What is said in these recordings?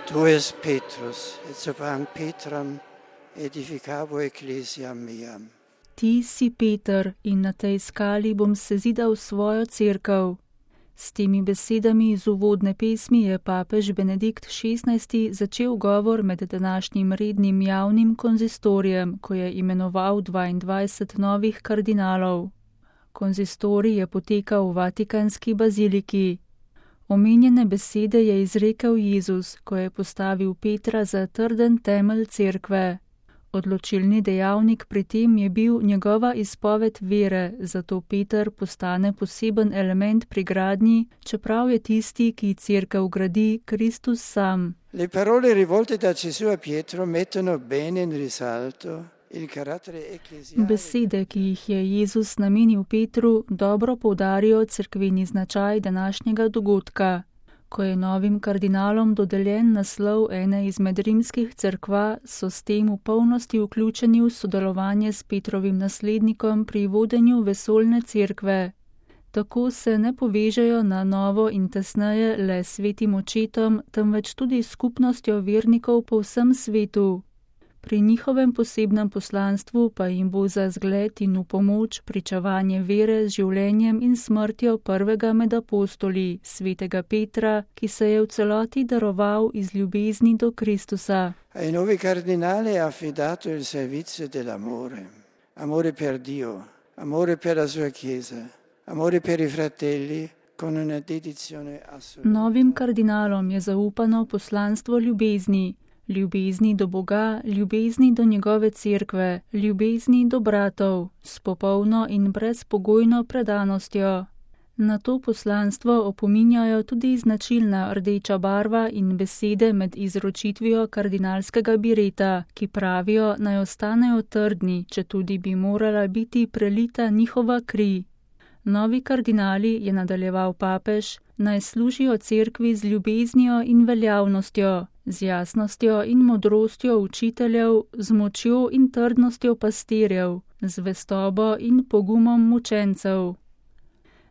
Tu es Petrus, et sopra Petram edificabo ecclesiam meam. Ti si Peter in na tej skali bom sezidal svojo cerkev. S temi besedami iz uvodne pesmi je papež Benedikt XVI začel govor med današnjim rednim javnim konzistorijem, ko je imenoval 22 novih kardinalov. Konzistorij je potekal v Vatikanski baziliki. Omenjene besede je izrekel Jezus, ko je postavil Petra za trden temelj cerkve. Odločilni dejavnik pri tem je bil njegova izpoved vere, zato Peter postane poseben element pri gradnji, čeprav je tisti, ki cerkev gradi, Kristus sam. Le parole rivolte da Gesù a Pietro mettono bene in risalto il carattere ecclesiale. Besede, ki jih je Jezus namenil Petru, dobro poudarijo cerkveni značaj današnjega dogodka. Ko je novim kardinalom dodeljen naslov ene izmed rimskih cerkva, so s tem v polnosti vključeni v sodelovanje s Petrovim naslednikom pri vodenju vesoljne cerkve. Tako se ne povežejo na novo in tesneje le s svetim očetom, temveč tudi s skupnostjo vernikov po vsem svetu. Pri njihovem posebnem poslanstvu pa jim bo za zgled in v pomoč pričevanje vere z življenjem in smrtjo prvega med apostoli, svetega Petra, ki se je v celoti daroval iz ljubezni do Kristusa. Ai nuovi cardinali ha affidato il servizio dell'amore, amore per Dio, amore per la sua Chiesa, amore per i fratelli, con una dedizione assoluta. Novim kardinalom je zaupano poslanstvo ljubezni, ljubezni do Boga, ljubezni do njegove cerkve, ljubezni do bratov, s popolno in brezpogojno predanostjo. Na to poslanstvo opominjajo tudi značilna rdeča barva in besede med izročitvijo kardinalskega bireta, ki pravijo, naj ostanejo trdni, četudi bi morala biti prelita njihova kri. Novi kardinali, je nadaljeval papež, naj služijo cerkvi z ljubeznijo in veljavnostjo, z jasnostjo in modrostjo učiteljev, z močjo in trdnostjo pastirjev, z zvestobo in pogumom mučencev.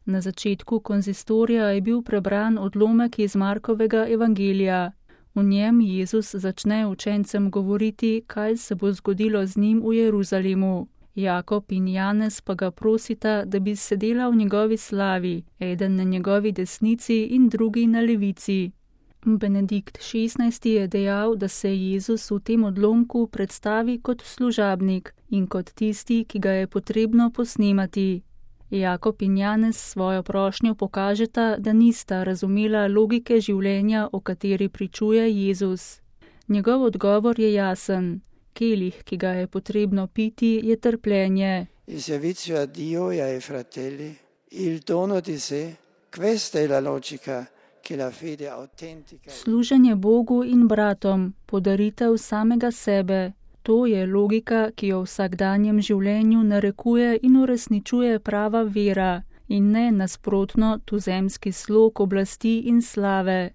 Na začetku konzistorija je bil prebran odlomek iz Markovega evangelija. V njem Jezus začne učencem govoriti, kaj se bo zgodilo z njim v Jeruzalemu. Jakob in Janez pa ga prosita, da bi sedela v njegovi slavi, eden na njegovi desnici in drugi na levici. Benedikt XVI je dejal, da se Jezus v tem odlomku predstavi kot služabnik in kot tisti, ki ga je potrebno posnemati. Jakob in Janez svojo prošnjo pokažeta, da nista razumela logike življenja, o kateri pričuje Jezus. Njegov odgovor je jasen. Kelih, ki ga je potrebno piti, je trpljenje. Il servizio a Dio e ai fratelli, il dono di sé, questa è la logica che la fede autentica. Služenje Bogu in bratom, podaritev samega sebe. To je logika, ki jo v vsakdanjem življenju narekuje in uresničuje prava vera, in ne nasprotno tuzemski slog oblasti in slave.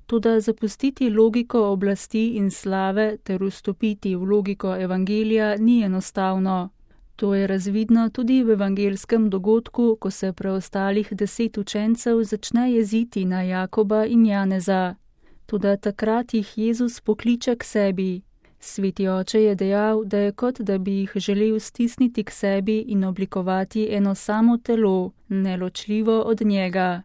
Toda zapustiti logiko oblasti in slave ter vstopiti v logiko evangelija ni enostavno. To je razvidno tudi v evangelskem dogodku, ko se preostalih 10 učencev začne jeziti na Jakoba in Janeza. Toda takrat jih Jezus pokliče k sebi. Sveti oče je dejal, da je kot da bi jih želel stisniti k sebi in oblikovati eno samo telo, neločljivo od njega.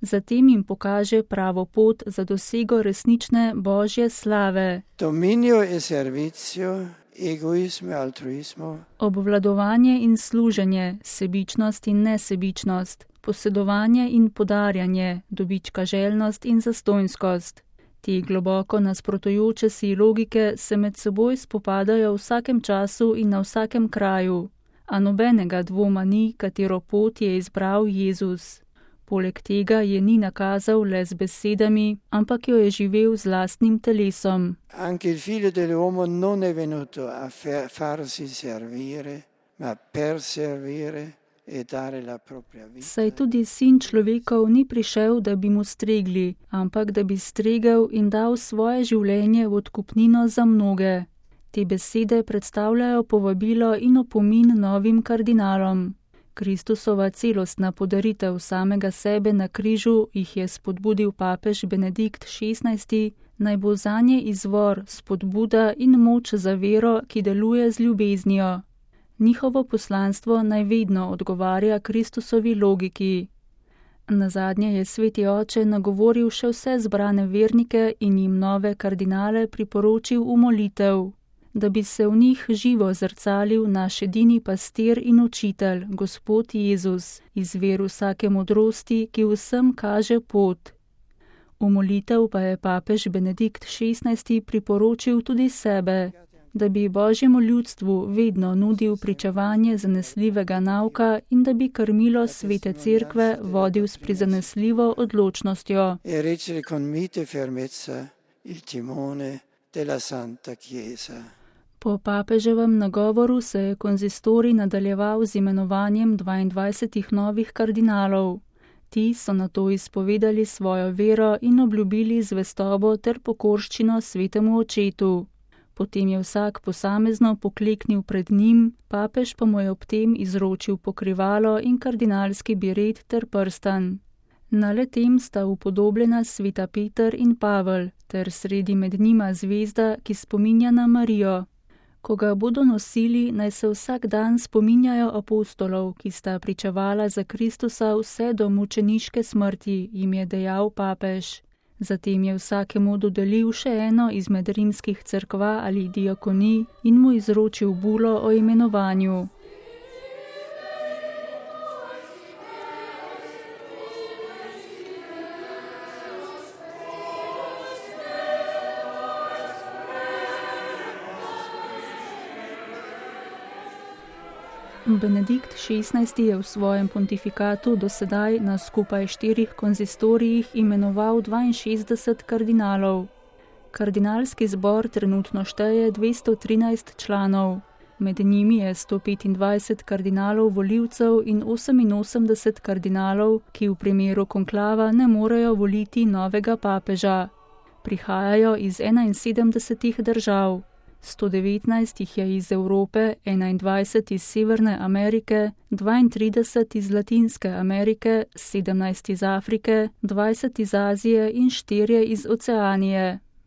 Zatem jim pokaže pravo pot za dosego resnične Božje slave. Dominio e servizio, egoismo e altruismo. Obvladovanje in služenje, sebičnost in nesebičnost, posedovanje in podarjanje, dobičkaželjnost in zastonjskost. Te globoko nasprotujoče si logike se med seboj spopadajo v vsakem času in na vsakem kraju, a nobenega dvoma ni, katero pot je izbral Jezus. Poleg tega je ni nakazal le z besedami, ampak jo je živel z lastnim telesom. Anche il figlio dell'uomo non è venuto a farsi servire, ma per servire e dare la propria vita. Saj tudi sin človekov ni prišel, da bi mu stregli, ampak da bi stregel in dal svoje življenje v odkupnino za mnoge. Te besede predstavljajo povabilo in opomin novim kardinalom. Kristusova celostna podaritev samega sebe na križu jih je spodbudil papež Benedikt XVI, naj bo zanje izvor, spodbuda in moč za vero, ki deluje z ljubeznijo. Njihovo poslanstvo naj vedno odgovarja Kristusovi logiki. Nazadnje je Sveti Oče nagovoril še vse zbrane vernike in jim nove kardinale priporočil v molitev, da bi se v njih živo zrcalil naš edini pastir in učitelj, Gospod Jezus, izvir vsake modrosti, ki vsem kaže pot. V molitev pa je papež Benedikt XVI priporočil tudi sebe, da bi Božjemu ljudstvu vedno nudil pričevanje zanesljivega nauka in da bi krmilo Svete Cerkve vodil s prizanesljivo odločnostjo. Po papeževem nagovoru se je konzistorij nadaljeval z imenovanjem 22 novih kardinalov. Ti so nato izpovedali svojo vero in obljubili zvestobo ter pokorščino Svetemu Očetu. Potem je vsak posamezno pokleknil pred njim, papež pa mu je ob tem izročil pokrivalo in kardinalski biret ter prstan. Na le-tem sta upodobljena sveta Peter in Pavel, ter sredi med njima zvezda, ki spominja na Marijo. Ko ga bodo nosili, naj se vsak dan spominjajo apostolov, ki sta pričevala za Kristusa vse do mučeniške smrti, jim je dejal papež. Zatem je vsakemu dodelil še eno izmed rimskih cerkva ali diakonij in mu izročil bulo o imenovanju. Benedikt XVI je v svojem pontifikatu dosedaj na skupaj 4 konzistorijih imenoval 62 kardinalov. Kardinalski zbor trenutno šteje 213 članov. Med njimi je 125 kardinalov volivcev in 88 kardinalov, ki v primeru konklava ne morejo voliti novega papeža. Prihajajo iz 71 držav. 119 jih je iz Evrope, 21 iz Severne Amerike, 32 iz Latinske Amerike, 17 iz Afrike, 20 iz Azije in 4 iz Oceanije.